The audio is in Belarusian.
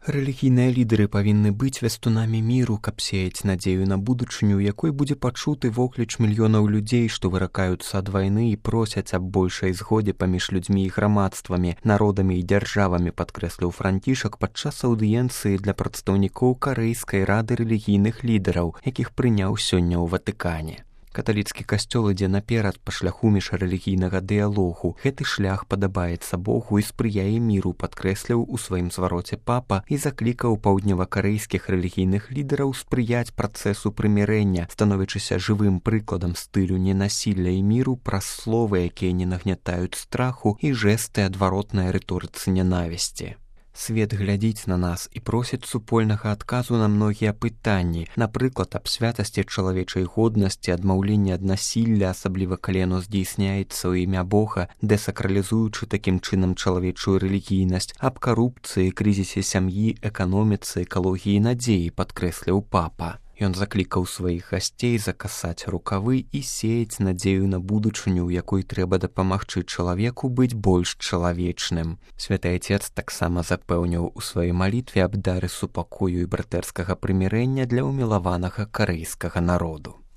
Рэлігійныя лідары павінны быць вястунамі міру, каб сеяць надзею на будучыню, у якой будзе пачуты вокліч мільёнаў людзей, што выракаюцца ад вайны і просяць аб большай згодзе паміж людзьмі і грамадствамі, народамі і дзяржавамі, падкрэсліў Францішак падчас аўдыенцыі для прадстаўнікоў Карэйскай рады рэлігійных лідараў, якіх прыняў сёння ў Ватыкане. Каталіцкі касцёл ідзе наперад па шляху міжрэлігійнага дыялогу. Гэты шлях падабаецца Богу і спрыяе міру, падкрэсліў у сваім звароце папа і заклікаў паўдневакарэйскіх рэлігійных лідараў спрыяць працэсу прымірэння, становячыся жывым прыкладам стылю ненасілля і міру праз словы, якія не нагнятаюць страху, і жэсты адваротнай рыторыцы нянавісці. Свет глядзіць на нас і просіць супольнага адказу на многія пытанні, напрыклад, аб святасці чалавечай годнасці, адмаўленні ад насілля, асабліва калі яно здзейсняецца ў імя Бога, дэсакралізуючы такім чынам чалавечую рэлігійнасць, аб карупцыі, крызісе сям'і, эканоміцы, экалогіі і надзеі, падкрэсліў папа. Ён заклікаў сваіх гасцей закасаць рукавы і сеяць надзею на будучыню, у якой трэба дапамагчы чалавеку быць больш чалавечным. Святы Айцец таксама запэўніў у сваёй малітве аб дары супакою і братэрскага прымірэння для ўмілаванага карэйскага народу.